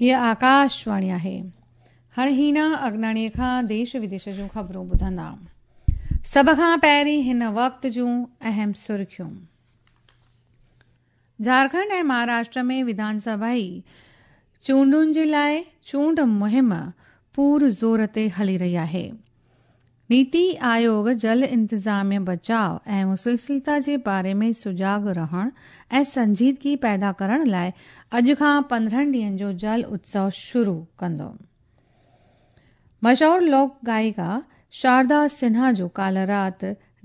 هيء آڪاشواڻي آهي. هاڻي هينا اگناڻيء کان ديش وديش جون خبرون ٻڌندا. سڀ کان پهرين هن وقت جون اهم سرخيون. جهارکنڊ ۽ مهاراشٽر ۾ وڌان سڀائي چونڊن جي لاء چونڊ مهم پور زور تي هلي رهي آهي. نيتي آيوگ جل انتظاميه بچاء ۽ مسلسلتا جي باري ۾ سجاڳ رهڻ ۽ سنجيدگي پيدا ڪرڻ لاء اڄ کان 15 ڏينهن جو جل اتسو شروع ڪندو. مشهور لوڪ گائڪا شاردا سنها جو ڪالهه رات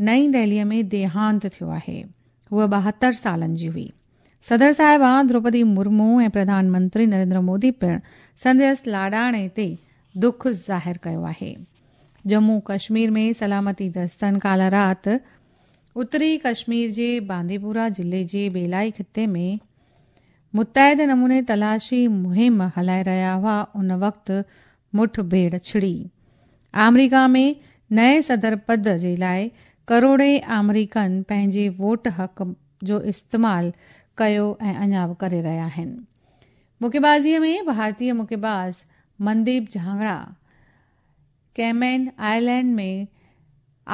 نئين دهليء ۾ ديهانت ٿيو آهي. هوء 72 سالن جي هئي. صدر صاحبه دروپدي مرمو ۽ پرڌان منتري نريندر مودي پڻ سندس لاڏاڻي تي دک ظاهر ڪيو آهي. ڄمون ڪشمير ۾ سلامتي دستن ڪالهه رات اتري ڪشمير جي بانديپورا ضلعي جي بيلائي خطي ۾ متعد نموني تلاشي مهم هلائي رهيا هئا ان وقت مٺ ڀيڙ ڇڙي. آمريڪا ۾ نئين صدر پد جي لاء ڪروڙين آمريڪن پنهنجي ووٽ حق جو استعمال ڪيو ۽ اڃا به ڪري رهيا آهن. مڪيبازيء ۾ ڀارتي مڪيباز منديپ جهانگڙا ڪيمين آئلينڊ ۾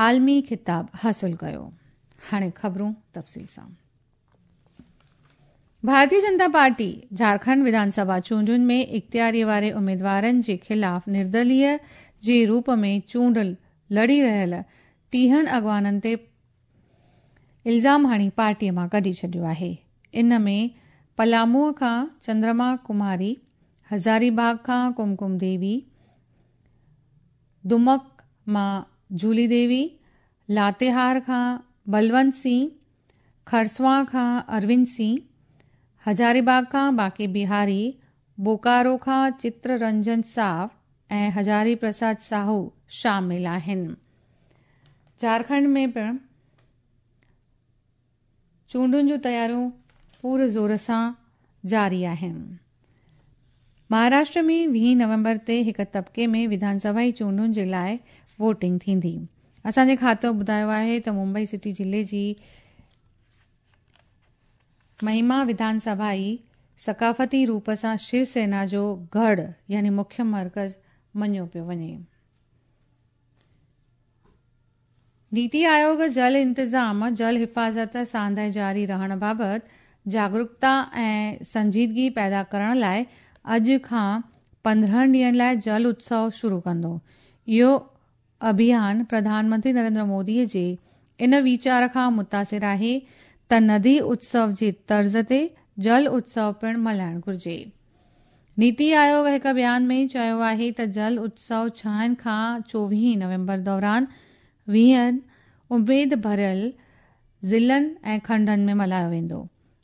عالمي خطاب حاصل ڪيو. هاڻي خبرون تفصيل سان. ڀارتي جنتا پارٽي جهارکنڊ وڌان سڀا چونڊن ۾ اختياري واري اميدوارن جي خلاف نردليه جي روپ ۾ چونڊ لڙي رهيل 30 اڳواڻن تي الزام هڻي پارٽيء مان ڪڍي ڇڏيو آهي. ان ۾ پلاموء کان چندرما ڪماري، هزاري باغ کان ڪمڪم ديوي، دمڪ مان جولي ديوي، لاتيهار کان بلونت سنگهه، کرسوان کان اروند سنگهه، هزاري باغ کان باقي بهاري، بوڪارو کان چتر رنجن ساو ۽ هزاري پرساد ساهو شامل آهن. جهارکنڊ ۾ پڻ چونڊن جون تياريون پور زور سان جاري آهن. مهاراشٽر ۾ 20 نومبر تي هڪ طبقي ۾ وڌان سڀائي چونڊن جي لاء ووٽنگ ٿيندي. اسان جي کاتو ٻڌايو آهي ته ممبئي سٽي ضلعي جي مهما وڌان سڀائي ثقافتي روپ سان شو سينا جو ڳڙهه يعني مکيه مرڪز مڃيو پيو وڃي. نيتي آيوگ جل انتظام، جل حفاظت ساندهه جاري رهڻ بابت جاگرڪتا ۽ سنجيدگي پيدا ڪرڻ لاء اڄ کان 15 ڏينهن لاء جل اتسو شروع ڪندو. اهو اڀيان پرڌان منتري نريندر مودي جي ان ويچار کان متاثر آهي ته ندي اتسو جي طرز تي جل اتسو پڻ ملهائڻ گهرجي. نيتي آيوگ هڪ بيان ۾ چيو آهي ته جل اتسو 6 کان 24 نومبر دوران 20 اميد ڀريل ضلعن ۽ کنڊن ۾ ملهايو ويندو.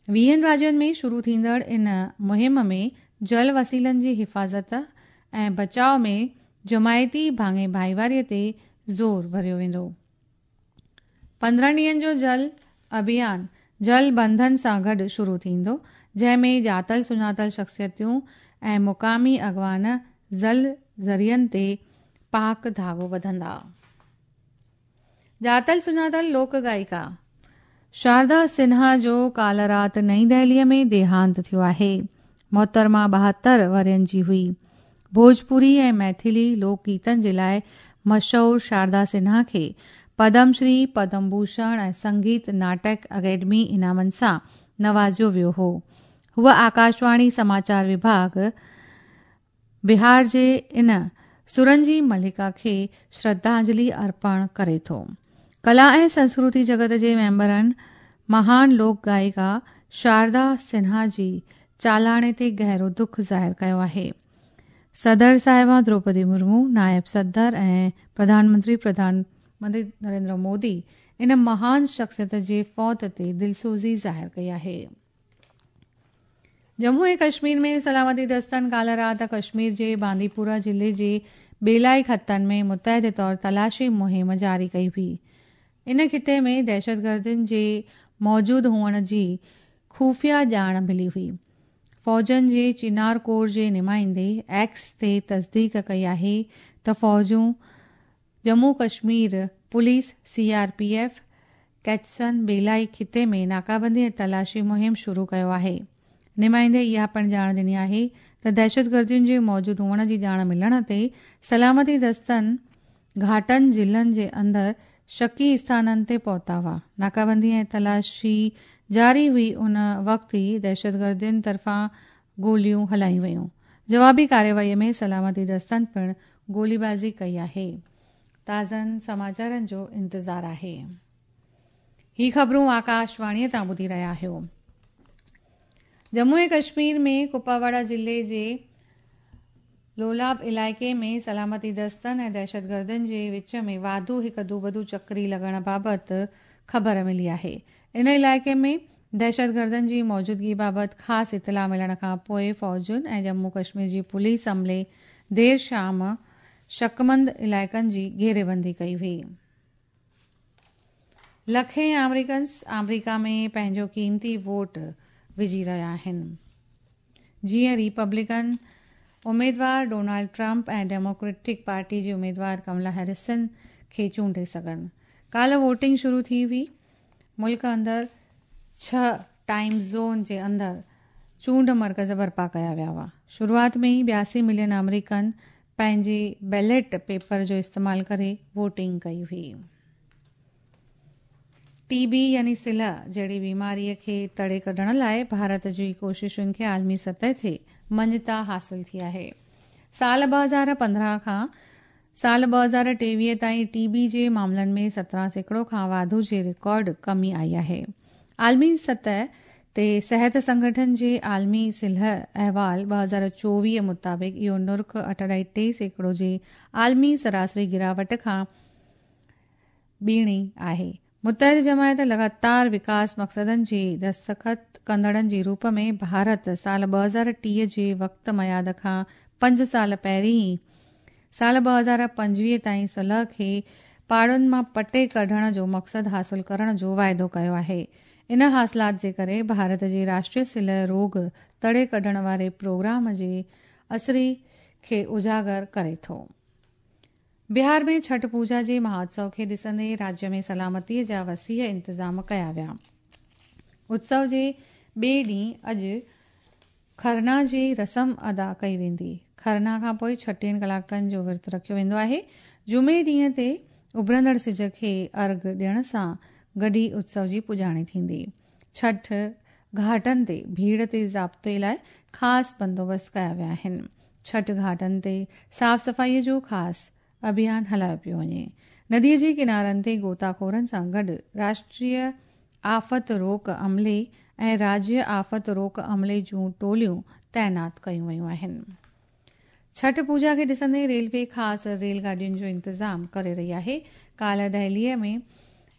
20 راجين ۾ شروع ٿيندڙ ان مهم ۾ جل وسيلن جي حفاظت ۽ بچاء ۾ جماعتي ڀاڱي ڀائيواري تي زور ڀريو ويندو. 15 ڏينهن جو جل اڀيان جل بنڌن سان گڏ شروع ٿيندو، جنهن ۾ ڄاتل سڃاتل شخصيتون ۽ مقامي اڳواڻ جل ذريعن تي پاڪ ڌاڳو ٻڌندا. ڄاتل سڃاتل لوڪ گائڪا شاردا سنها جو ڪالهه رات نئين دهليء ۾ ديهانت ٿيو آهي. محترمه 72 ورهين جي هئي. ڀوجپوري ۽ ميٿلي لوڪ گيتن جي لاء مشهور شاردا سنها کي پدم شري، پدم ڀوشڻ ۽ سنگيت ناٽڪ اڪيڊمي انعامن سان نوازيو ويو هو. هوء آڪاشواڻي سماچار وڀاڳ بهار جي ان سرن جي ملڪا کي شرڌانجلي ارپڻ ڪري ٿو. ڪلا ۽ سنسڪرتي جڳت جي ميمبرن مهان لوڪ گائڪا شاردا سنها جي چالاڻي تي گهرو دک ظاهر ڪيو آهي. صدر صاحبه دروپدي مرمو، نائب صدر ۽ پرڌان منتري پرڌان منتري نريندر مودي ان مهان شخصيت جي فوت تي دلسوزي ظاهر ڪئي آهي. ڄمون ۽ ڪشمير ۾ سلامتي دستن ڪالهه رات ڪشمير جي بانديپورا ضلعي جي ٻيلائي خطن ۾ متحده طور تلاشي مهم جاري ڪئي هئي. ان خطي ۾ دهشتگردن جي موجود هئڻ جي خفيه ڄاڻ ملي هئي. فوجن جي چنار ڪور جي نمائندي ايڪس تي تصديق ڪئي آهي ته فوجون Jammu Kashmir police, C R P F, ڪيچسن ٻيلائي خطي ۾ ناڪابندي ۽ تلاشي مهم شروع ڪيو آهي. نمائندي اها پڻ ڄاڻ ڏني آهي ته دهشتگردين جي موجود هئڻ جي ڄاڻ ملڻ تي سلامتي دستن گهاٽن ضلعن جي اندر شڪي اسٿانن تي پهتا هئا. ناڪابندي ۽ تلاشي جاري هئي ان وقت ئي دهشتگردين طرفان گوليون هلايون ويون. جوابي ڪارروائي ۾ سلامتي دستن پڻ گوليبازي ڪئي آهي. تازن سماچارن جو انتظار آهي. هي خبرون آڪاشواڻيء تان ٻڌي رهيا آهيو. ڄمون ۽ ڪشمير ۾ ڪپواڙا ضلعي جي لولاب علائقي ۾ سلامتي دستن ۽ دهشتگردن جي وچ ۾ واڌو هڪ دوبدو چڪري لڳڻ بابت خبر ملي آهي. ان علائقي ۾ دهشتگردن جي موجودگي بابت خاص اطلاع ملڻ کان پوء فوجن ۽ ڄمون ڪشمير جي پوليس عملي دير شام شڪمند علائقن جي گهيريبندي ڪئي هئي. لکين آمريڪنز آمريڪا ۾ پنهنجو قيمتي ووٽ وجهي رهيا آهن. جيئن ريپبلڪن اميدوار ڊونالڊ ٽرمپ ۽ ڊيموڪريٽڪ پارٽي جي اميدوار ڪملا هيرسن کي چونڊي سگهن. ڪالهه ووٽنگ شروع ٿي هئي. ملڪ اندر ڇهه ٽائيم زون جي اندر چونڊ مرڪز برپا ڪيا ويا هئا. شروعات ۾ ئي 82 ملين آمريڪن پنهنجي بيلٽ پيپر جو استعمال ڪري ووٽنگ ڪئي هئي. ٽي بي يعني سلهه جهڙي بيماري کي تڙي ڪڍڻ لاء ڀارت جي ڪوششن کي عالمي سطح تي مڃتا حاصل ٿي آهي. سال 2015 کان سال 2023 تائين ٽي بي جي معاملن ۾ 17% کان واڌو جي رڪارڊ ڪمي آئي آهي. عالمي سطح تي صحت سنگٺن جي عالمي سلهه احوال 2024 مطابق اهو نرخ 8.3% جي عالمي سراسري گراوٽ کان ٻيڻي آهي. متحد جماعت لڳاتار وڪاس مقصدن جي دستخط ڪندڙن جي روپ ۾ ڀارت سال 2030 جي وقت ميعاد کان 5 سال پهرين ئي سال 2025 تائين سلهه کي پاڙن مان پٽي ڪڍڻ جو مقصد حاصل ڪرڻ جو واعدو ڪيو آهي. ان حاصلات جي ڪري ڀارت جي راشٽريه سلهه روڳ تڙي ڪڍڻ واري پروگرام جي اثري کي اجاگر ڪري ٿو. بهار ۾ ڇٺ پوڄا جي مهوتسو کي ڏسندي راجيه ۾ سلامتي جا وسيع انتظام ڪيا ويا. اتسو جي ٻئي ڏينهن اڄ کرنا جي رسم ادا ڪئي ويندي. کرنا کان پوء 36 ڪلاڪن جو ورت رکيو ويندو آهي. جمعي ڏينهن تي اڀرندڙ سج کي ارگهه ڏيڻ سان گڏ ئي اتسو جي پڄاڻي ٿيندي. ڇٺ گهاٽن تي ڀيڙ تي ضابطي لاء خاص بندوبست ڪيا ويا آهن. ڇٺ گهاٽن تي صاف صفائي جو خاص اڀيان هلايو پيو وڃي. ندي جي ڪنارن تي غوطا خورن سان گڏ راشٽريه آفت روڪ عملي ۽ راجيه آفت روڪ عملي جون ٽوليون تعينات ڪيون ويون آهن. ڇٺ پوڄا کي ڏسندي ريلوي خاص ريل گاڏين جو انتظام ڪري رهي آهي. ڪالهه دهليء ۾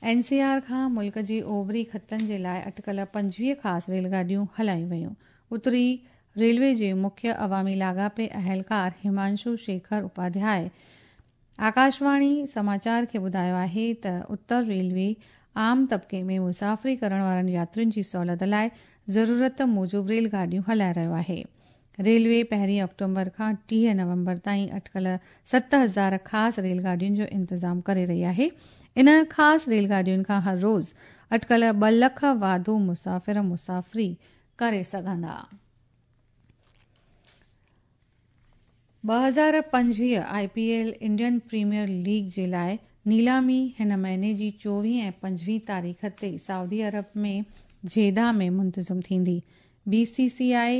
اين سي آر کان ملڪ جي اوڀري خطن جي لاء اٽڪل 25 خاص ريل گاڏيون هلايون ويون. اتري ريلوي جي مکيه عوامي لاڳاپي اهلڪار همانشو شيکر اپاڌياء آڪاشواڻي سماچار کي ٻڌايو آهي ته اتر ريلوي عام طبقي ۾ مسافري ڪرڻ وارن ياترين جي سهولت لاء ضرورت موجب ريل گاڏيون هلائي رهيو آهي. ريلوي پهرين آڪٽومبر کان 30 نومبر تائين اٽڪل 7000 خاص ريل گاڏين جو انتظام ڪري رهي آهي. ان خاص ريل گاڏين کان هر روز اٽڪل 2 لک واڌو مسافر مسافري ڪري سگهندا. 2025 I P L Indian Premier League جي لاء نيلامي هن مهيني جي 24 ۽ 25 تاريخ تي سعودي عرب ۾ جيده ۾ منتظم ٿيندي. بي سي سي آء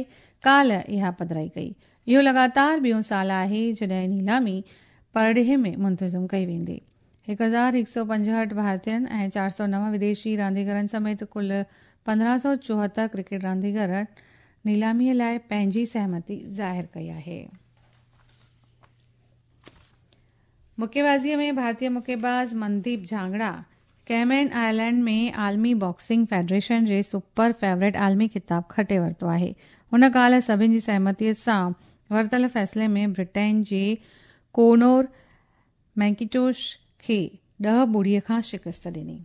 ڪالهه اها پڌرائي ڪئي. اهو لڳاتار ٻيون سال آهي جڏهن نيلامي پرڏيهه ۾ منتظم ڪئي ويندي. 1165 ڀارتين ۽ 409 وديشي رانديگرن سميت ڪل 1574 ڪرڪيٽ رانديگرن نيلامي لاء پنهنجي سهمتي ظاهر ڪئي آهي. مڪيبازيء ۾ ڀارتي مڪيباز منديپ جهانگڙا ڪيمين آئلينڊ ۾ عالمي باڪسنگ فيڊريشن جي سپر فيورٽ عالمي خطاب کٽي ورتو آهي. هن ڪالهه سڀني جي سهمتي سان ورتل فيصلي ۾ برٽين جي ڪونور مينڪيٽوش کي 10-0 کان شڪست ڏني.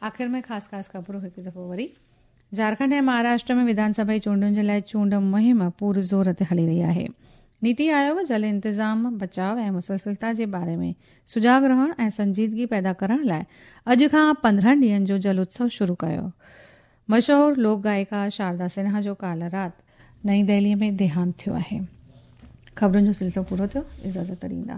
آخر ۾ خاص خاص خبرون هڪ دفعو وري. جهارکنڊ ۽ مهاراشٽر ۾ وڌان سڀا جي چونڊن جي لاء چونڊ مهم پور زور تي هلي رهي آهي. نيتي آيوگ جل انتظام، بچاء ۽ مسلسلتا جي باري ۾ سجاڳ رهڻ ۽ سنجيدگي پيدا ڪرڻ لاء اڄ کان 15 ڏينهن جو جل اتسو شروع ڪيو. مشهور لوڪ گائڪا شاردا سنها جو ڪالهه رات نئين دهلي ۾ ديهانت ٿيو آهي. خبرن جو سلسلو پورو ٿيو، اجازت ڏيندا.